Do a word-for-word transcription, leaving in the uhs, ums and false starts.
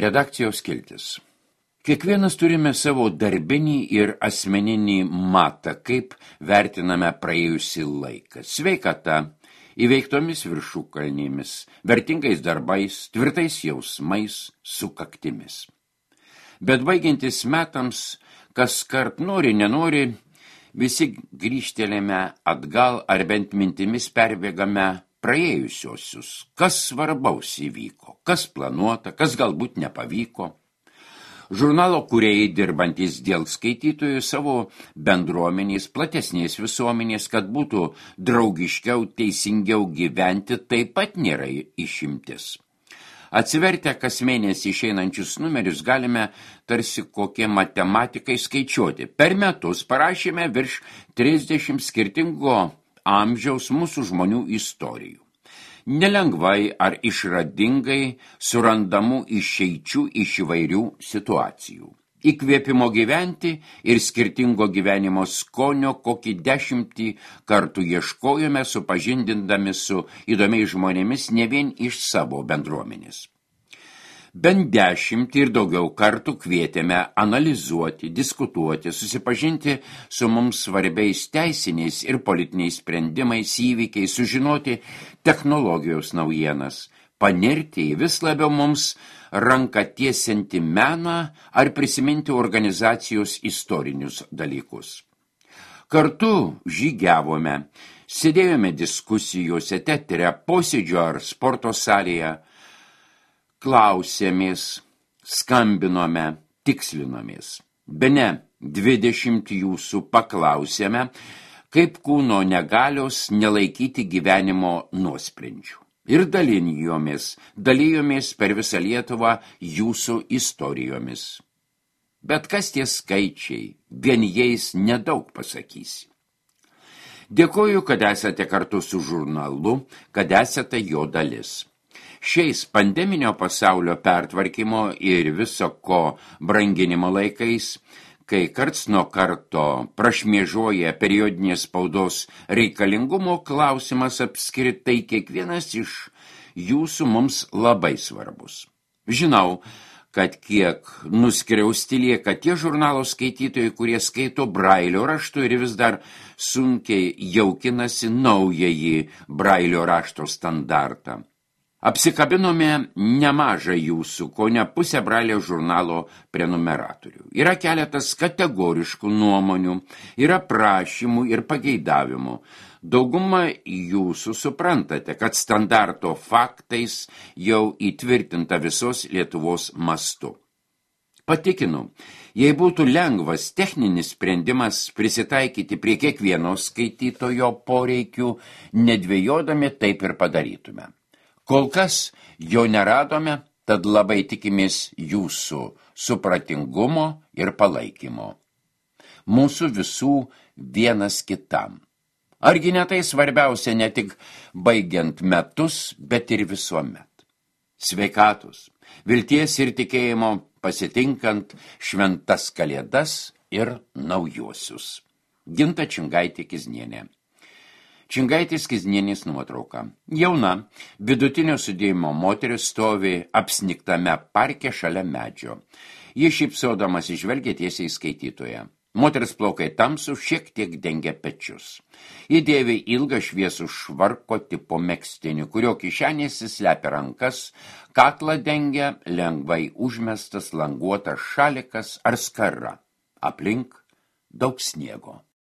Redakcijos skiltis. Kiekvienas turime savo darbinį ir asmeninį matą, kaip vertiname praėjusį laiką. Sveikata, įveiktomis viršukalnėmis, vertingais darbais, tvirtais jausmais, sukaktimis. Bet baigiantis metams, kas kart nori, nenori, visi grįžtelėme atgal ar bent mintimis perbėgame praėjusiosius, kas svarbaus įvyko, kas planuota, kas galbūt nepavyko. Žurnalo kūrėjai dirbantys dėl skaitytojų savo bendruomenės, platesnės visuomenės, kad būtų draugiškiau, teisingiau gyventi, taip pat nėra išimtis. Atsivertę kas mėnesį išeinančius numerius galime tarsi kokie matematikai skaičiuoti. Per metus parašėme virš trisdešimt skirtingo amžiaus mūsų žmonių istorijų. Nelengvai ar išradingai surandamų išeičių iš įvairių situacijų. Įkvėpimo gyventi ir skirtingo gyvenimo skonio kokį dešimtį kartų ieškojome, supažindindami su įdomiais žmonėmis ne vien iš savo bendruomenės. Bent dešimt ir daugiau kartų kvietėme analizuoti, diskutuoti, susipažinti su mums svarbiais teisiniais ir politiniais sprendimais, įvykiais, sužinoti technologijos naujienas, panirti į vis labiau mums ranką tiesianti meną ar prisiminti organizacijos istorinius dalykus. Kartu žygiavome, sėdėjome diskusijose, teatre, posėdžio ar sporto salėje, klausėmės, skambinome, tikslinomės. Bene dvidešimt jūsų paklausėme, kaip kūno negalios nelaikyti gyvenimo nuosprendžių. Ir dalinjomės, dalijomės per visą Lietuvą jūsų istorijomis. Bet kas tie skaičiai, vien jais nedaug pasakysi. Dėkoju, kad esate kartu su žurnalu, kad esate jo dalis. Šiais pandeminio pasaulio pertvarkymo ir viso ko branginimo laikais, kai karts nuo karto prašmėžuoja periodinės spaudos reikalingumo klausimas apskritai kiekvienas iš jūsų mums labai svarbus. Žinau, kad kiek nuskriausti lieka tie žurnalo skaitytojai, kurie skaito brailio raštu ir vis dar sunkiai jaukinasi naująjį brailio rašto standartą. Apsikabinome nemažą jūsų, ko ne pusę brailio žurnalo prenumeratorių. Yra keletas kategoriškų nuomonių, yra prašymų ir pageidavimų. Dauguma jūsų suprantate, kad standarto faktais jau įtvirtinta visos Lietuvos mastu. Patikinu, jei būtų lengvas techninis sprendimas prisitaikyti prie kiekvieno skaitytojo poreikių, nedvejodami taip ir padarytume. Kol kas jo neradome, tad labai tikimės jūsų supratingumo ir palaikymo. Mūsų visų vienas kitam. Argi ne tai svarbiausia ne tik baigiant metus, bet ir visuomet. Sveikatos, vilties ir tikėjimo pasitinkant šventas kalėdas ir naujuosius. Ginta Čingaitė Kiznienė. Čingaitis Kiznienės nuotrauka. Jauna, vidutinio sudėjimo moteris stovi apsniktame parke šalia medžio. Ji šypsodamas žvelgia tiesiai skaitytoje. Moteris plaukai tamsų šiek tiek dengia pečius. Ji dėvi ilgą šviesų švarko tipo megztinį, kurio kišenėse slepia rankas, kaklą dengia lengvai užmestas languotas šalikas ar skara. Aplink daug sniego.